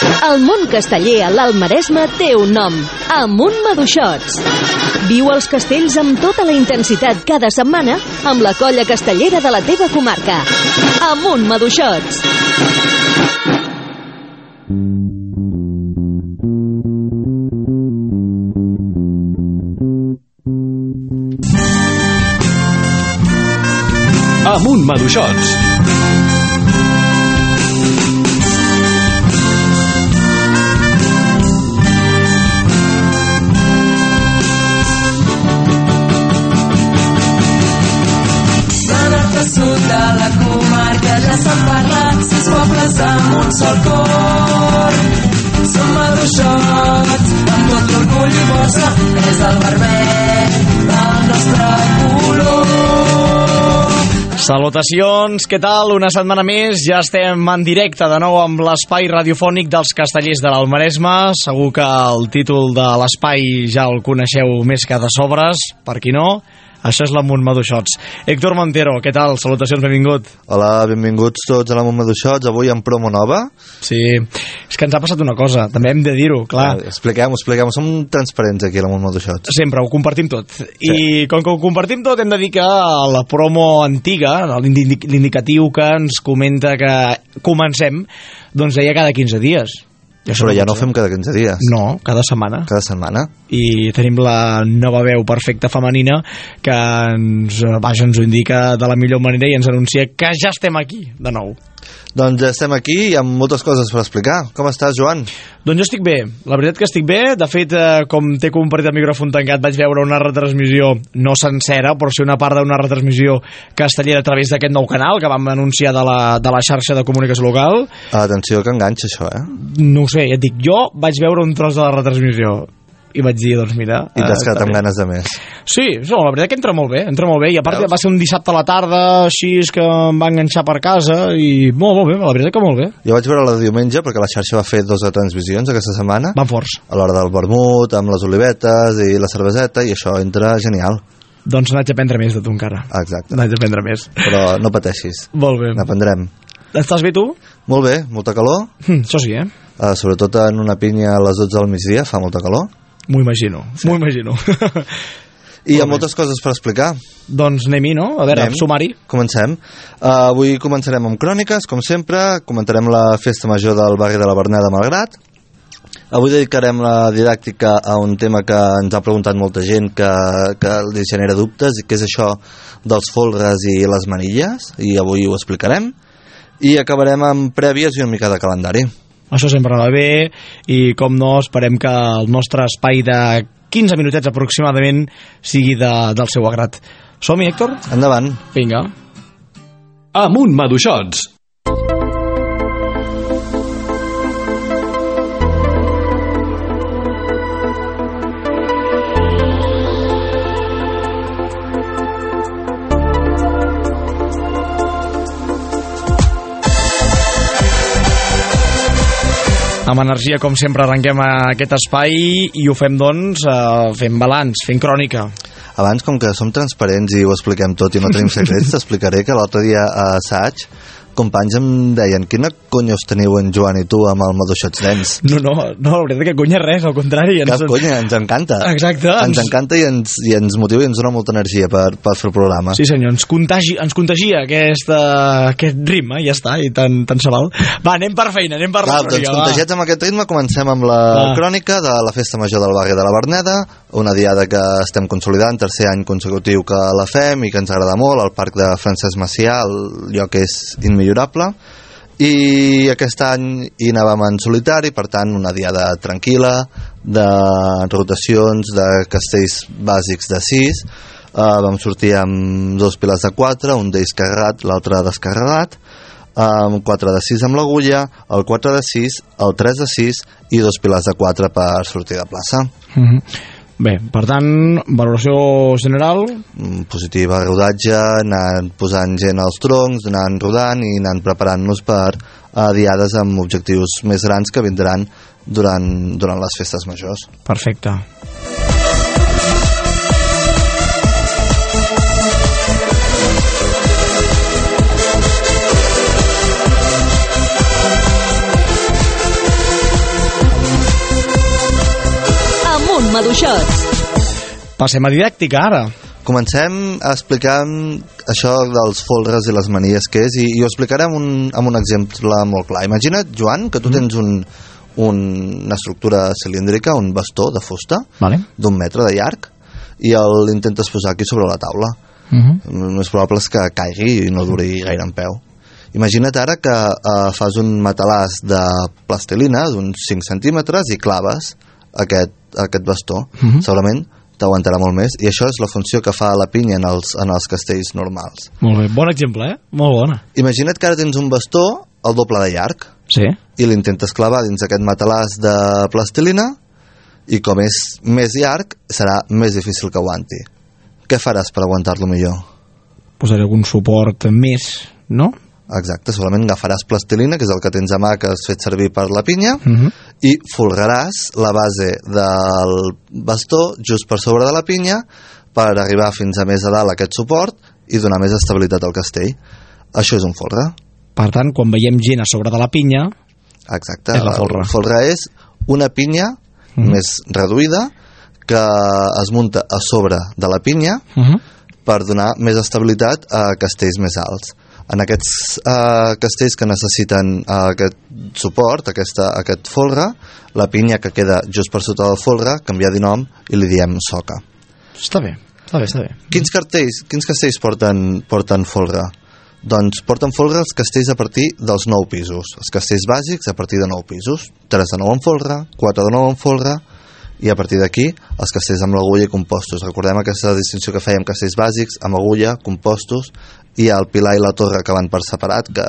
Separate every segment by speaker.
Speaker 1: El món casteller a l'Alt Maresme té un nom: Amunt Maduixots. Viu els castells amb tota la intensitat cada setmana amb la colla castellera de la teva comarca. Amunt Maduixots.
Speaker 2: Amunt Maduixots.
Speaker 3: Sud de la comarca ja s'han parlat 6 pobles amb un sol cor. Som maduixots amb tot l'orgull i força, és el vermell del nostre color.
Speaker 4: Salutacions, què tal? Una setmana més, ja estem en directe de nou amb l'espai radiofònic dels Castellers de l'Alt Maresme. Segur que el títol de l'espai ja el coneixeu més que de sobres, per qui no. Això és l'Amunt Maduixots. Héctor Montero, què tal? Salutacions, benvingut.
Speaker 5: Hola, benvinguts tots a l'Amunt Maduixots, avui amb promo nova.
Speaker 4: Sí, és que ens ha passat una cosa, també hem de dir-ho, clar.
Speaker 5: Expliquem-ho, som transparents aquí a l'Amunt Maduixots.
Speaker 4: Sempre, ho compartim tot.
Speaker 5: Sí.
Speaker 4: I com que ho compartim tot, hem de dir que la promo antiga, l'indicatiu que ens comenta que comencem, doncs deia cada 15 dies.
Speaker 5: Però ja no fem cada 15 dies.
Speaker 4: No, cada setmana.
Speaker 5: Cada setmana.
Speaker 4: I tenim la nova veu perfecta femenina que ens ho indica de la millor manera i ens anuncia que ja estem aquí de nou.
Speaker 5: Doncs ja estem aquí i amb moltes coses per explicar. Com estàs, Joan?
Speaker 4: Doncs jo estic bé, la veritat que estic bé. De fet, com t'he compartit el micròfon tancat, vaig veure una retransmissió, no sencera, però sí una part d'una retransmissió castellera a través d'aquest nou canal que vam anunciar de la xarxa de comunicació local.
Speaker 5: Atenció que enganxa això,
Speaker 4: No ho sé, ja et dic, jo vaig veure un tros de la retransmissió i vaig dir, doncs mira...
Speaker 5: I t'has quedat amb ganes de més.
Speaker 4: Sí, no, la veritat que entra molt bé, i a part va ser un dissabte a la tarda, així és que em va enganxar per casa, i molt bé, la veritat que molt bé.
Speaker 5: Jo vaig veure la de diumenge, perquè la xarxa va fer 2 transmissions aquesta setmana.
Speaker 4: Van forts.
Speaker 5: A l'hora del vermut, amb les olivetes i la cerveseta, i això entra genial.
Speaker 4: Doncs n'haig d'aprendre més de tu encara.
Speaker 5: Exacte.
Speaker 4: N'haig d'aprendre més.
Speaker 5: Però no pateixis.
Speaker 4: Molt bé.
Speaker 5: N'aprendrem.
Speaker 4: Estàs bé tu?
Speaker 5: Molt bé, molta calor.
Speaker 4: Això sí,
Speaker 5: sobretot en una pinya a les 12 del migdia, fa molta calor.
Speaker 4: M'ho imagino.
Speaker 5: I hi ha moltes coses per explicar.
Speaker 4: Doncs anem-hi, no? A veure, sumari.
Speaker 5: Comencem. Avui començarem amb cròniques, com sempre. Comentarem la festa major del barri de la Verneda Malgrat. Avui dedicarem la didàctica a un tema que ens ha preguntat molta gent, que li genera dubtes, i que és això dels folres i les manilles, i avui ho explicarem. I acabarem amb prèvies i una mica de calendari.
Speaker 4: Això sempre va bé, i com no, esperem que el nostre espai de 15 minutets aproximadament sigui del seu agrat. Som-hi, Héctor?
Speaker 5: Endavant.
Speaker 4: Vinga.
Speaker 2: Amunt Maduixots.
Speaker 4: Amb energia, com sempre, arrenquem aquest espai i ho fem, doncs, fent balanç, fent crònica.
Speaker 5: Abans, com que som transparents i ho expliquem tot i no tenim secrets, t'explicaré que l'altre dia a assaig companys em deien: quina conya us teniu en Joan i tu amb el Maduixots nens?
Speaker 4: No, la veritat que conya res, al contrari.
Speaker 5: Cap conya, ens encanta.
Speaker 4: Exacte.
Speaker 5: Ens encanta i ens motiva i ens dona molta energia per fer el programa.
Speaker 4: Sí senyor, ens contagia aquest ritme, ja està, i tant se val. Va, anem per feina, anem per la crònica.
Speaker 5: Doncs contagiats amb aquest ritme, comencem amb la crònica de la festa major del barri de la Verneda, una diada que estem consolidant, tercer any consecutiu que la fem i que ens agrada molt, al Parc de Francesc Macià, el lloc és immillorable, i aquest any hi anàvem en solitari, per tant una diada tranquil·la, de rotacions de castells bàsics de 6. Vam sortir amb 2 piles de 4, un d'ells carregat, l'altre descarregat, 4 de 6 amb l'agulla, el 4 de 6, el 3 de 6 i 2 piles de 4 per sortir de plaça.
Speaker 4: Bé, per tant, valoració general?
Speaker 5: Positiva, rodatge, anant posant gent als troncs, anant rodant i anant preparant-nos per diades amb objectius més grans que vindran durant les festes majors.
Speaker 4: Perfecte.
Speaker 1: amb Maduixots.
Speaker 4: Passem a didàctica, ara.
Speaker 5: Comencem explicant això dels folres i les manies que és, i ho explicaré amb un exemple molt clar. Imagina't, Joan, que tu tens una estructura cilíndrica, un bastó de fusta, d'1 metre de llarg, i l'intentes posar aquí sobre la taula. El més probable és que caigui i no duri gaire en peu. Imagina't ara que fas un matalàs de plastilina d'uns 5 centímetres i claves aquest bastó. Segurament t'aguantarà molt més, i això és la funció que fa la pinya en els castells normals.
Speaker 4: Molt bé, bon exemple, molt bona.
Speaker 5: Imagina't que ara tens un bastó el doble de llarg, i l'intentes clavar dins aquest matalàs de plastilina, i com és més llarg serà més difícil que aguanti. Què faràs per aguantar-lo millor?
Speaker 4: Posaré algun suport més, no?
Speaker 5: Exacte, solament agafaràs plastilina, que és el que tens a mà, que has fet servir per la pinya, i folgaràs la base del bastó just per sobre de la pinya per arribar fins a més a dalt aquest suport i donar més estabilitat al castell. Això és un folre.
Speaker 4: Per tant, quan veiem gent a sobre de la pinya,
Speaker 5: exacte,
Speaker 4: és la folre.
Speaker 5: El folre és una pinya més reduïda que es munta a sobre de la pinya per donar més estabilitat a castells més alts. En aquests castells que necessiten aquest suport, aquest folre, la pinya que queda just per sota del folre canvia de nom i li diem soca.
Speaker 4: Està bé.
Speaker 5: Quins castells porten folre? Doncs porten folre els castells a partir dels 9 pisos. Els castells bàsics a partir de 9 pisos. 3 de 9 en folre, 4 de 9 en folre, i a partir d'aquí els castells amb l'agulla i compostos. Recordem aquesta distinció que fèiem, castells bàsics amb agulla, compostos, i el pilar i la torre que van per separat, que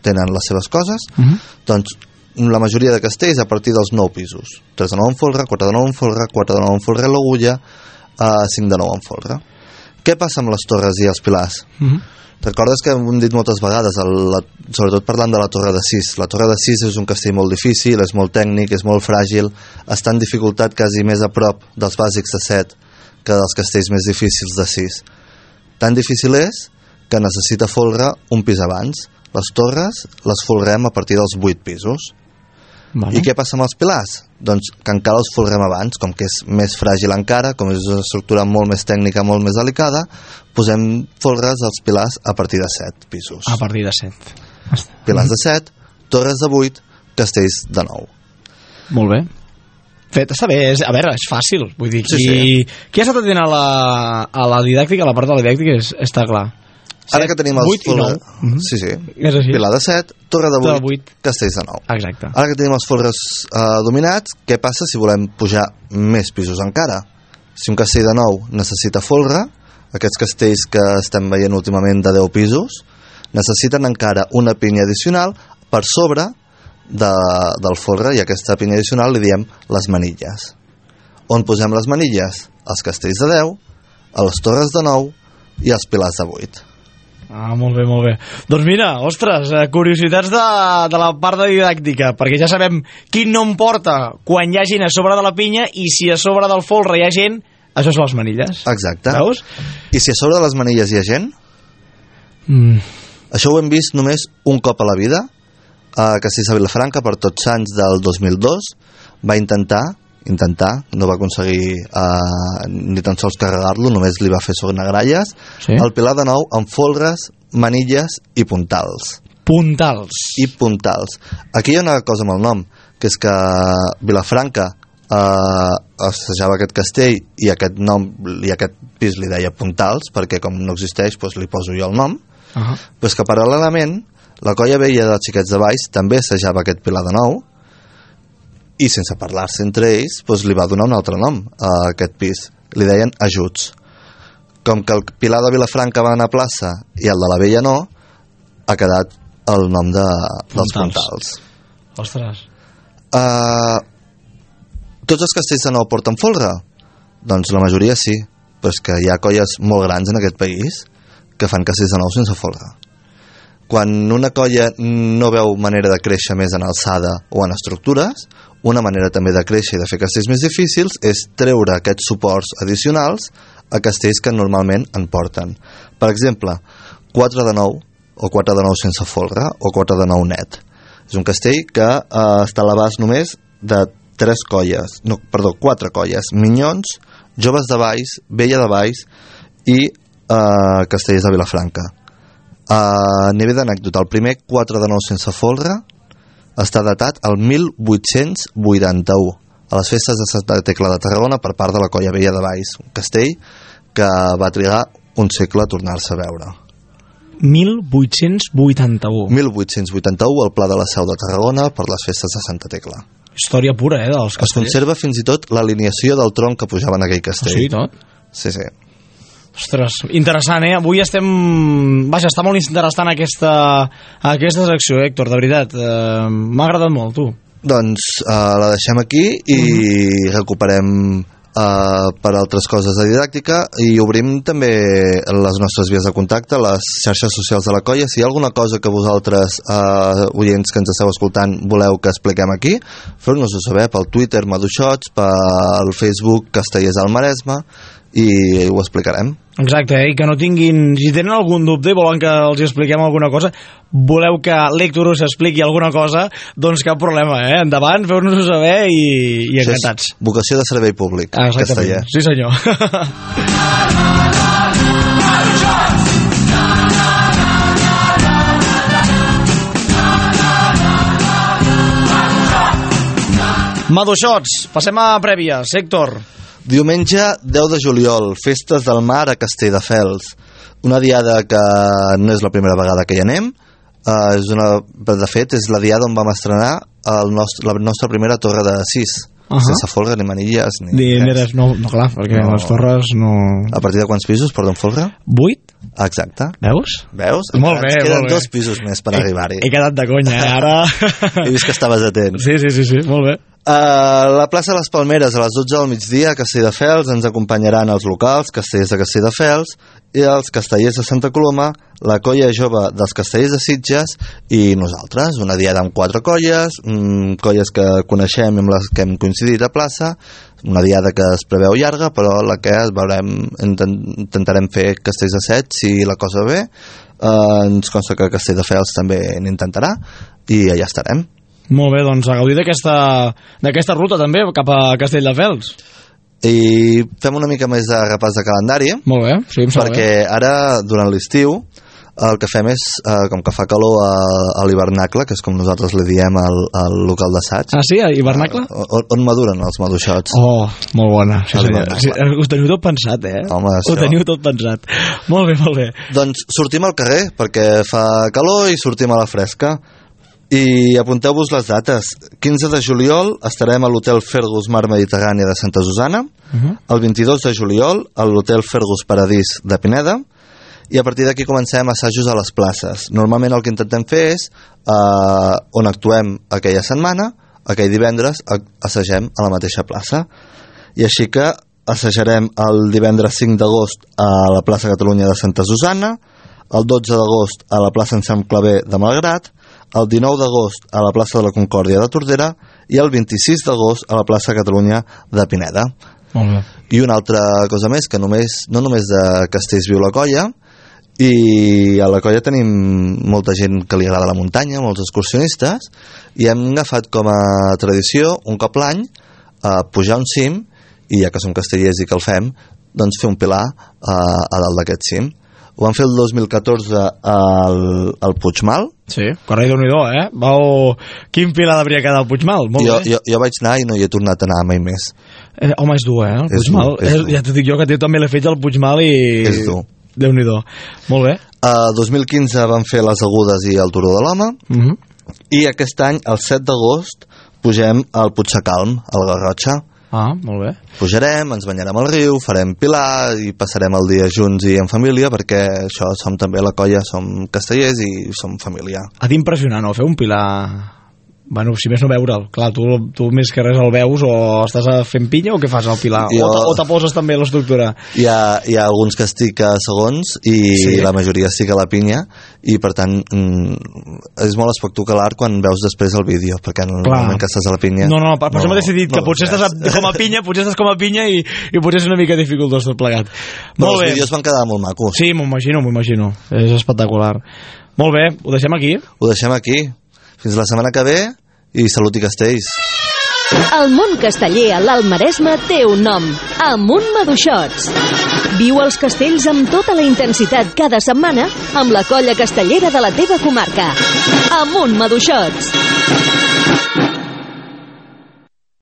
Speaker 5: tenen les seves coses. Doncs la majoria de castells a partir dels 9 pisos. 3 de 9 en folre, 4 de 9 en folre, 4 de 9 en folre i l'agulla, 5 de 9 en folre. Què passa amb les torres i els pilars? Recordes que hem dit moltes vegades, sobretot parlant de la Torre de 6. La Torre de 6 és un castell molt difícil, és molt tècnic, és molt fràgil, està en dificultat quasi més a prop dels bàsics de 7 que dels castells més difícils de 6. Tan difícil és que necessita folre un pis abans. Les torres les folrem a partir dels 8 pisos. I què passa amb els pilars? Doncs que encara els folrem abans, com que és més fràgil encara, com és una estructura molt més tècnica, molt més delicada, posem folres als pilars a partir de 7 pisos.
Speaker 4: A partir de 7.
Speaker 5: Pilars de 7, torres de 8, castells de 9.
Speaker 4: Molt bé. Fet, està bé, a veure, és fàcil. Vull dir, qui ha estat atent a la didàctica, a la part de la didàctica, està clar.
Speaker 5: Ara que tenim els
Speaker 4: 8 i 9.
Speaker 5: Sí. Pilar de 7, torre de 8, castells de 9.
Speaker 4: Exacte.
Speaker 5: Ara que tenim els folres dominats, què passa si volem pujar més pisos encara? Si un castell de 9 necessita folre, aquests castells que estem veient últimament de 10 pisos necessiten encara una pinya addicional per sobre del folre, i aquesta pinya addicional li diem les manilles. On posem les manilles? Els castells de 10, a les torres de 9 i els pilars de 8.
Speaker 4: Molt bé. Doncs mira, ostres, curiositats de la part de didàctica, perquè ja sabem quin nom porta quan hi ha gent a sobre de la pinya, i si a sobre del folre hi ha gent, això són les manilles.
Speaker 5: Exacte.
Speaker 4: Veus?
Speaker 5: I si a sobre de les manilles hi ha gent? Això ho hem vist només un cop a la vida. Castells de Vilafranca, per Tots Sants del 2002, va intentar, no va aconseguir ni tan sols carregar-lo, només li va fer sonagralles, el pilar de 9 amb folres, manilles i puntals. Aquí hi ha una cosa amb el nom, que és que Vilafranca assajava aquest castell i aquest nom i aquest pis li deia puntals, perquè com no existeix doncs li poso jo el nom. Però és que paral·lelament la colla vella dels Xiquets de Valls també assajava aquest pilar de 9, i sense parlar-se entre ells doncs li va donar un altre nom a aquest pis, li deien ajuts. Com que el pilar de Vilafranca va anar a plaça i el de la vella no, ha quedat el nom dels puntals.
Speaker 4: Ostres.
Speaker 5: Tots els castells de 9 porten folre? Doncs la majoria sí, però és que hi ha colles molt grans en aquest país que fan castells de 9 sense folre. Quan una colla no veu manera de créixer més en alçada o en estructures, una manera també de créixer i de fer castells més difícils és treure aquests suports addicionals a castells que normalment en porten. Per exemple, 4 de 9 o 4 de 9 sense folre o 4 de 9 net. És un castell que està a l'abast només de 4 colles: Minyons, Joves de Valls, Vella de Valls i Castellers de Vilafranca. A nivell d'anècdota, el primer 4 de 9 sense folre està datat al 1881 a les festes de Santa Tecla de Tarragona per part de la colla Vella de Valls, un castell que va trigar un segle a tornar-se a veure.
Speaker 4: 1881.
Speaker 5: 1881, el Pla de la Seu de Tarragona per les festes de Santa Tecla.
Speaker 4: Història pura, dels castellers.
Speaker 5: Es conserva fins i tot l'alineació del tronc que pujava en aquell castell.
Speaker 4: Sí, tot?
Speaker 5: Sí.
Speaker 4: Ostres, interessant, Avui estem... Vaja, està molt interessant aquesta secció, Héctor, de veritat. M'ha agradat molt, tu.
Speaker 5: Doncs la deixem aquí i recuperem per altres coses de didàctica i obrim també les nostres vies de contacte, les xarxes socials de la colla. Si hi ha alguna cosa que vosaltres, oients que ens esteu escoltant, voleu que expliquem aquí, feu-nos-ho saber pel Twitter Maduixots, pel Facebook Castellers del Maresme, i ho explicarem.
Speaker 4: Exacte, i que no tinguin... Si tenen algun dubte i volen que els expliquem alguna cosa, voleu que l'Héctor us expliqui alguna cosa, doncs cap problema, Endavant, feu-nos-ho saber i encantats.
Speaker 5: És vocació de servei públic, casteller.
Speaker 4: Sí, senyor. Maduixots, passem a prèvies. Héctor.
Speaker 5: Diumenge 10 de juliol, Festes del Mar a Castelldefels. Una diada que no és la primera vegada que hi anem, de fet és la diada on vam estrenar la nostra primera torre de 6, sense folre ni manilles ni res.
Speaker 4: No, clar, perquè les torres no...
Speaker 5: A partir de quants pisos porten folre?
Speaker 4: 8?
Speaker 5: Exacte.
Speaker 4: Veus?
Speaker 5: Molt bé, queden 2 pisos més per arribar-hi.
Speaker 4: He quedat de conya, ara...
Speaker 5: He vist que estaves atent.
Speaker 4: Sí, molt bé.
Speaker 5: A la plaça de les Palmeres a les 12 del migdia a Castelldefels ens acompanyaran els locals, Castellers de Castelldefels, i els Castellers de Santa Coloma, la colla jove dels Castellers de Sitges i nosaltres. Una diada amb 4 colles, colles que coneixem i amb les que hem coincidit a plaça, una diada que es preveu llarga, però la que intentarem fer castells de 7 si la cosa ve. Ens consta que Castelldefels també n'intentarà i allà estarem.
Speaker 4: Molt bé, doncs a gaudir d'aquesta ruta també cap a Castelldefels.
Speaker 5: I fem una mica més de repàs de calendari.
Speaker 4: Molt bé, sí, em sembla
Speaker 5: perquè ara, durant l'estiu, el que fem és, com que fa calor a l'hivernacle, que és com nosaltres li diem al local d'assaig.
Speaker 4: Ah, sí? A hivernacle?
Speaker 5: On maduren els maduixots.
Speaker 4: Oh, molt bona. Sí, ho teniu tot pensat,
Speaker 5: Home,
Speaker 4: ho teniu tot pensat. Molt bé.
Speaker 5: Doncs sortim al carrer, perquè fa calor i sortim a la fresca. I apunteu-vos les dates. 15 de juliol estarem a l'Hotel Fergus Mar Mediterrània de Santa Susana, el 22 de juliol a l'Hotel Fergus Paradís de Pineda, i a partir d'aquí comencem assajos a les places. Normalment el que intentem fer és on actuem aquella setmana, aquell divendres assagem a la mateixa plaça, i així que assajarem el divendres 5 d'agost a la plaça Catalunya de Santa Susana, el 12 d'agost a la plaça Enxam Claver de Malgrat, el 19 d'agost a la plaça de la Concòrdia de Tordera i el 26 d'agost a la plaça Catalunya de Pineda.
Speaker 4: Molt bé.
Speaker 5: I una altra cosa més, que no només de Castells viu la colla, i a la colla tenim molta gent que li agrada la muntanya, molts excursionistes, i hem agafat com a tradició un cop l'any pujar un cim, i ja que som castellers i que el fem, doncs fer un pilar a dalt d'aquest cim. Ho vam fer el 2014 al Puigmal.
Speaker 4: Sí, carai, Déu-n'hi-do, Quin pilar devia quedar al Puigmal?
Speaker 5: Jo vaig anar i no hi he tornat a anar mai més.
Speaker 4: Home, és dur, el Puigmal. Ja t'ho dic jo, que també l'he fet al Puigmal i...
Speaker 5: És dur.
Speaker 4: Déu-n'hi-do. Molt bé.
Speaker 5: El 2015 vam fer les Agudes i el Turó de l'Home, i aquest any, el 7 d'agost, pugem al Puigsecalm, al Garrotxa.
Speaker 4: Ah, molt bé.
Speaker 5: Pujarem, ens banyarem al riu, farem pilar i passarem el dia junts i en família, perquè això, som també la colla, som castellers i som família.
Speaker 4: Ha d'impressionar, no?, fer un pilar... Bueno, si més no veure'l. Clar, tu més que res el veus, o estàs fent pinya o què fas al pilar? O te poses també l'estructura?
Speaker 5: Hi ha alguns que estic a segons i sí, la majoria estic a la pinya, i per tant és molt espectacular quan veus després el vídeo, perquè en el moment que estàs a la pinya...
Speaker 4: No, per això m'he decidit que potser estàs com a pinya i potser és una mica dificultós tot plegat.
Speaker 5: Però els vídeos van quedar molt macos.
Speaker 4: Sí, m'ho imagino. És espectacular. Molt bé, ho deixem aquí?
Speaker 5: Ho deixem aquí. Fins la setmana que ve, i salut i castells.
Speaker 1: El món casteller a l'Alt Maresme té un nom: Amunt Maduixots. Viu els castells amb tota la intensitat cada setmana amb la colla castellera de la teva comarca. Amunt Maduixots.